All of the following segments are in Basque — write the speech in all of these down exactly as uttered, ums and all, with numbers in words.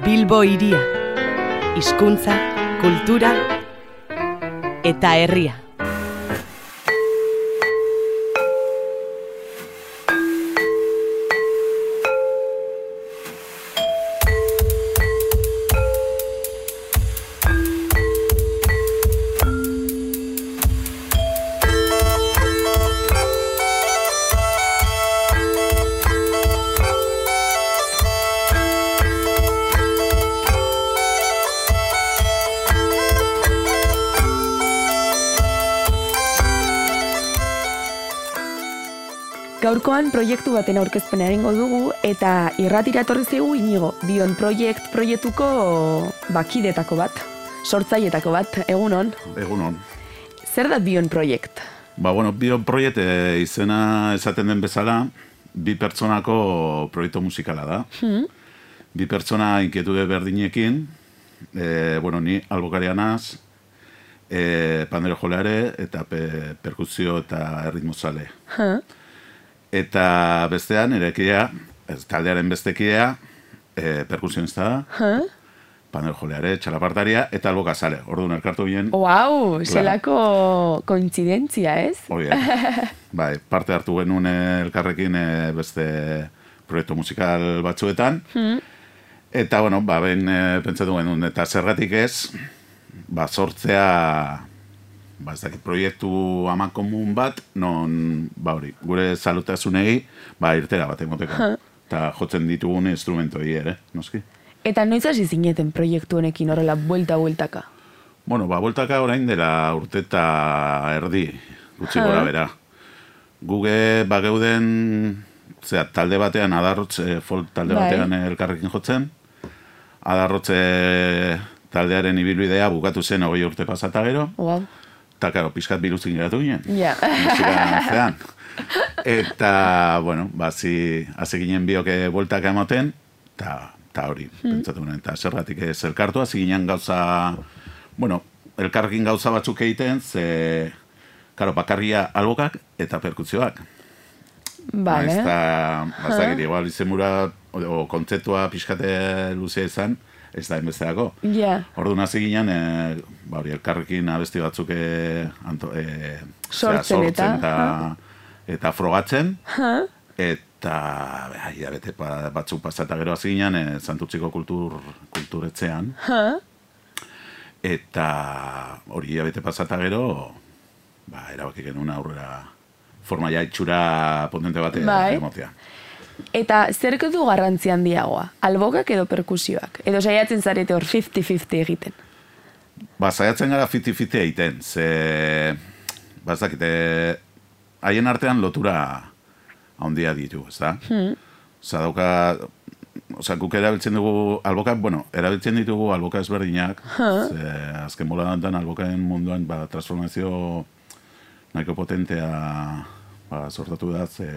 Bilbo hiria, hizkuntza, kultura eta herria. Gaurkoan proiektu baten aurkezpena egingo dugu eta irratira etorri zaigu Inigo, Bion Project proiektuko bakidetako bat, sortzailetako bat, egunon. Egunon. Zer da Bion Project? Ba, bueno, Bion Project e, izena esaten den bezala, bi pertsonako proiektu musikala da. Hmm. Bi pertsona inkietude berdinekin, e, bueno, ni albokaria naz, e, pandero joleare eta pe, perkusio eta erritmozale. Huh. Eta bestean, erekidea, taldearen bestekidea, e, perkusionista da, huh? Pandero joleare, txalapartaria, eta albokazale. Orduan elkartu bien. Wow, zelako kointzidentzia, ez? Hoi, bai, parte hartu genuen elkarrekin e, beste proiektu musikal batzuetan. Hmm. Eta, bueno, ba, ben e, pentsatu genuen, eta zergatik ez, ba, sortzea... Ba, ez dakit, proiektu aman komun bat, non, ba hori, gure salutasunei, ba, irtera bat emoteko. Eta jotzen ditugun instrumentoi ere, noski. Eta noiz hasi zineten proiektu honekin horrela, buelta-bueltaka? Bueno, ba, bueltaka orain dela urteta erdi, gutxi gora bera. Guge, ba, geuden, zera, talde batean, adarrotze, folk talde batean elkarrekin jotzen, adarrotze taldearen ibilbidea bukatu zen hogei urte pasata gero. Wow. Eta, karo, pixkat biluzik geratu ginen. Ja. Musika eta, bueno, ba, zi, hazi ginen bioke bueltaka emoten, eta hori, hmm. pentsatu ginen. Eta zergatik ez elkartu, hazi ginen gauza, bueno, elkarrekin gauza batzuk egiten, ze, karo, bakarria albokak eta perkuzioak. Vale. Eta, bazakit, igual izemura, o kontzeptua pixkate luzea izan, ez da enbesteako. Yeah. Orduan hasi ginen, e, ba, elkarrekin abesti batzuk e, anto, e, sortzen, zera, sortzen eta, eta, eta frogatzen. Huh? Eta ja, bete batzuk pasata gero hasi ginen, e, Santurtziko kultur, kulturetzean. Huh? Eta hori ja, bete pasata gero, ba, erabaki genuen aurrera forma ja itxura potente bate emotea. Eta zerko du garrantzi handiagoa? Albokak edo perkusioak? Edo saiatzen zarete hor fifty fifty egiten? Ba, saiatzen gara fifty fifty egiten. Ze, ba, ez dakite, haien artean lotura handia ditu, ez da? Hmm. Osa, dauka, osa, guk erabiltzen dugu albokak, bueno, erabiltzen ditugu alboka ezberdinak. Huh? Ze, azken bola dantan albokaen munduan, ba, transformazio nahiko potentea... Ba, sortatu da, ze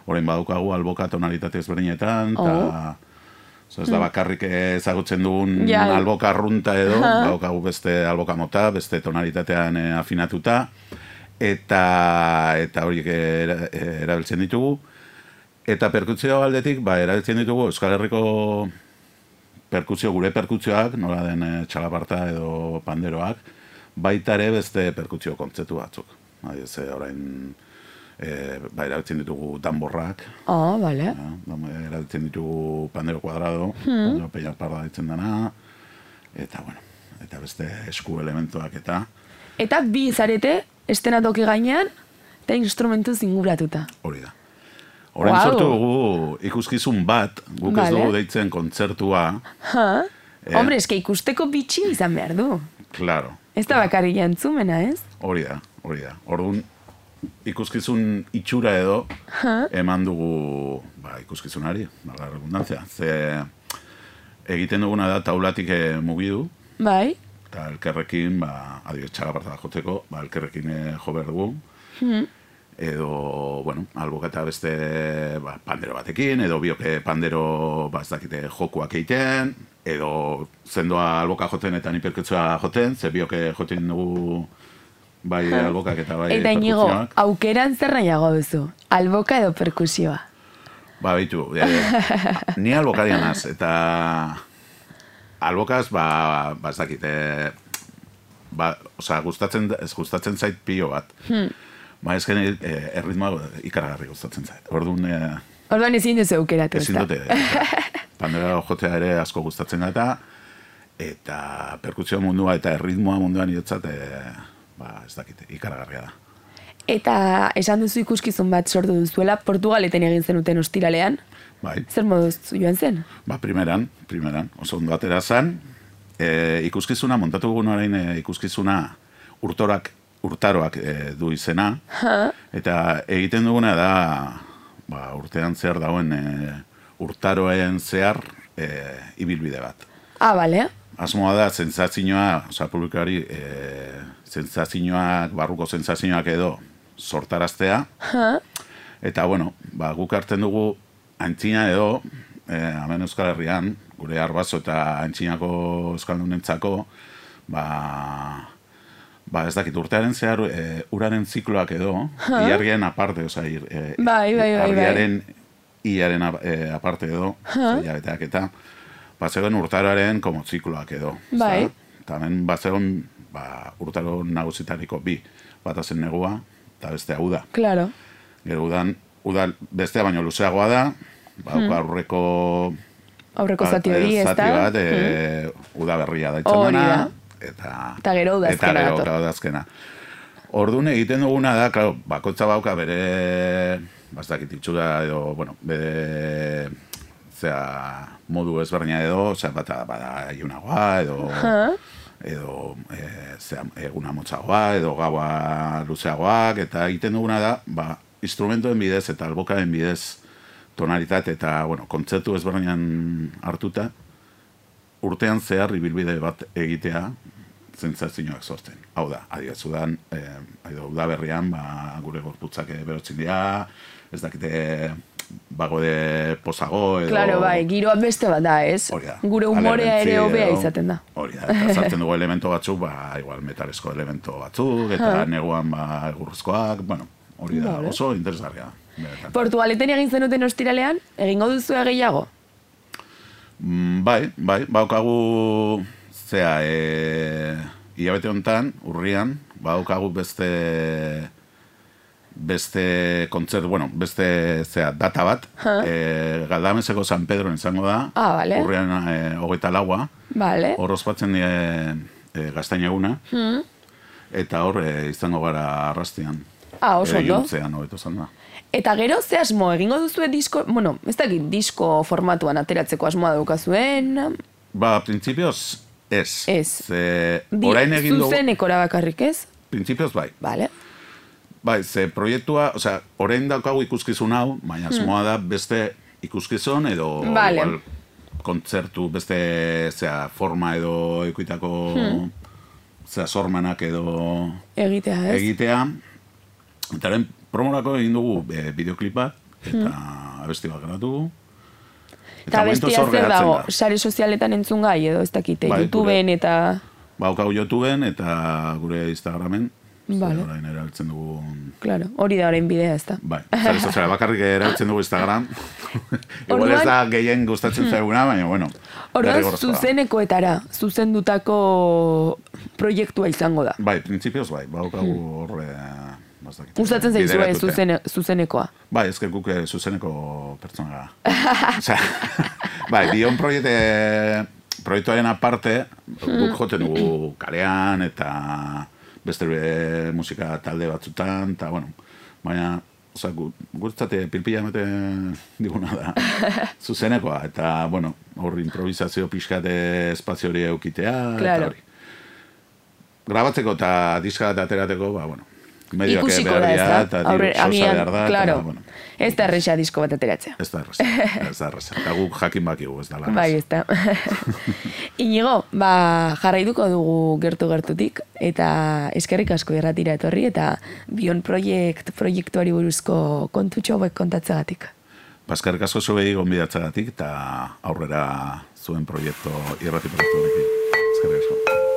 orain badaukagu alboka tonalitate ezberdinetan, eta oh. ez da bakarrik ezagutzen dugun yeah. alboka arrunta edo, badaukagu beste alboka mota, beste tonalitatean afinatuta, eta eta horiek erabiltzen ditugu. Eta perkusio aldetik, ba, erabiltzen ditugu Euskal Herriko perkusio, gure perkusioak, nola den txalaparta edo panderoak, baita ere beste perkusio kontzeptu batzuk. Adiz, orain... E, ba, erabiltzen ditugu danborrak. Ah, oh, bale. Ja, erabiltzen ditugu pandero kuadrado, hmm. pandero peña parda ditzen dana, eta, bueno, eta beste esku elementuak eta... Eta bi zarete, estenatoki gainean, eta instrumentu zinguratuta. Hori da. Horren wow. sortu dugu ikuskizun bat, guk vale. Ez dugu deitzen kontzertua. Ha? Eh? Hombre, eske ikusteko bitxi izan behar du. Claro. Ez da bakarri jantzumena, ez? Hori da, hori da. Orduan, ikuskizun itxura edo huh? eman dugu ba, ikuskizunari, bala redundantzia. Ze egiten duguna da taulatik mugidu. Bai. Eta elkerrekin, ba, adibidez txalaparta jotzeko, ba, elkerrekin jo behar dugu. Hmm. Edo, bueno, alboka eta beste ba, pandero batekin, edo bioke pandero ba, ez dakite jokuak egiten, edo zendoa alboka joten eta ni perkutzioa joten, ze bioke joten dugu bai albokak eta bai eta Inigo, aukeran zer nahiago duzu? Alboka edo perkusioa? Ba, bitu, e, ni albokarian az, eta albokaz, ba, ba ez dakit, e, ba, oza, gustatzen, ez gustatzen zait pilo bat. Hmm. Ba, ez geni, e, erritmoa ikaragarri gustatzen zait. Orduan... E, Orduan ezin duzu aukeratu, ezin dute. Pandera jotea ere asko gustatzen gata, eta perkusio mundua eta erritmoa munduan iotzat, e, ba, ez dakit, ikaragarria da. Eta esan duzu ikuskizun bat sortu duzuela, Portugaleten egin zenuten ostiralean. Bai. Zer moduz joan zen? Ba, primeran, primeran, oso ondo atera zen. E, ikuskizuna, montatu gugun orain e, ikuskizuna urtorak, urtaroak e, du izena. Ha? Eta egiten duguna da, ba, urtean zehar dauen e, urtaroen zehar e, ibilbide bat. Ah, bale. Asmoa da, zentzazioa, oza, publikari, e, zentzazioak, barruko zentzazioak edo sortaraztea. Ha? Eta, bueno, ba, guk hartzen dugu Antzina edo, eh, hemen Euskal Herrian, gure Arbaso eta Antzinako Euskaldunentzako, ba, ba ez dakit, urtearen zehar, e, uraren zikloak edo, huh? Iargien aparte, oza, ir, e, bai, bai, bai, argiaren iaren e, aparte edo, huh? Jabeteak eta, ba, zegoen urtaroaren como zikloak edo. Bai. Eta hemen, ba, zegoen, ba, urtaro nagusitariko bi, bat azen negua, eta beste hau da. Claro. Gero udan, Udal, bestea baino luzeagoa da, ba, hmm. aurreko... Aurreko zati hori, ez da? Zati bat, e, hmm. uda berria da itzan dena. Eta, eta gero udazkena. Eta gero udazkena. Orduan egiten duguna da, klaro, bakotza bauka bere, bastakit itxura edo, bueno, bere, zera, modu ezberdina edo, zera, bata, bada, iunagoa, edo... Huh? edo e, zera, eguna motzagoa, edo gaua luzeagoak, eta egiten duguna da, ba, instrumentoen bidez eta albokaren bidez tonalitate eta, bueno, kontzertu ezberdinan hartuta, urtean zehar ibilbide bat egitea zentzazioak sortzen. Hau da, adibidez, udan, eh, uda berrian, ba, gure gorputzak berotzen dira, ez dakite bagode posago edo... Claro, bai, giroa beste bat da, ez? Gure humorea ere hobea izaten da. Hori da, eta zartzen dugu elemento batzuk, ba, igual metalezko elemento batzuk, eta neguan, ba, egurrezkoak, bueno, hori da, vale. Oso interesgarria. Portugaleten egin zenuten ostiralean, egingo duzu gehiago? Mm, bai, bai, baukagu, zea, e, hilabete honetan, urrian, baukagu beste, beste kontzert, bueno, beste, zea, data bat, e, Galdameseko San Pedro izango da, ah, vale. Urrian e, hogeita laua, vale. Hor ospatzen die e, gaztainaguna, hmm. eta hor e, izango gara arrastian. Ah, oso ondo. Eta gero, ze asmo, egingo duzue disko, bueno, ez dakit, disko formatuan ateratzeko asmoa daukazuen? Ba, prinsipioz, ez. Ez. Ze, orain egin dugu... Zuzenekora bakarrik, ez? Prinsipioz, bai. Vale. Bai, ze proiektua, osea, orain daukagu ikuskizun hau, baina asmoa da beste ikuskizun edo... Vale. Igual, kontzertu, beste, zera, forma edo ikuitako... Hmm. Zera, sormanak edo... Egitea, ez? Egitea. Eta haren promorako egin dugu e, bideoklipa eta hmm. abesti bat grabatu. Eta abestia zer dago, sare sozialetan entzun gai edo ez dakite, bai, YouTubeen eta... Baukau YouTubeen eta gure Instagramen. Vale. Orain erabiltzen dugu... Claro, hori da orain bidea ez da. Bai, sare soziala bakarrik erabiltzen dugu Instagram. Igual ez da gehien gustatzen zaiguna, baina bueno. Orduan, zuzenekoetara, zuzendutako proiektua izango da. Bai, prinsipioz bai, baukau horre... Gustatzen zaizue zuzene, zuzenekoa. Bai, ez guk zuzeneko pertsona gara. Osea, bai, bion proiekte, proiektuaren aparte, guk joten dugu kalean eta beste musika talde batzutan, eta, bueno, baina, osea, gurtzate pilpila emate diguna da, zuzenekoa, eta, bueno, hor improvisazio pixkate espazio hori eukitea, claro. Eta hori. Grabatzeko eta diska eta aterateko, ba, bueno, ikusiko da, ez da? Aurre, agian, claro. Bueno. Ez da erresa disko bat ateratzea. Ez da erresa, ez da erresa. Eta guk jakin bakigu, ez da lan. Bai, ez da. Inigo, ba, jarraituko dugu gertu-gertutik, eta eskerrik asko irratira etorri, eta Bion Project, proiektuari buruzko kontutxo hauek kontatzagatik. Ba, eskerrik asko zuei gonbidatzagatik, eta aurrera zuen proiektu, irrati proiektu honekin. Eskerrik asko.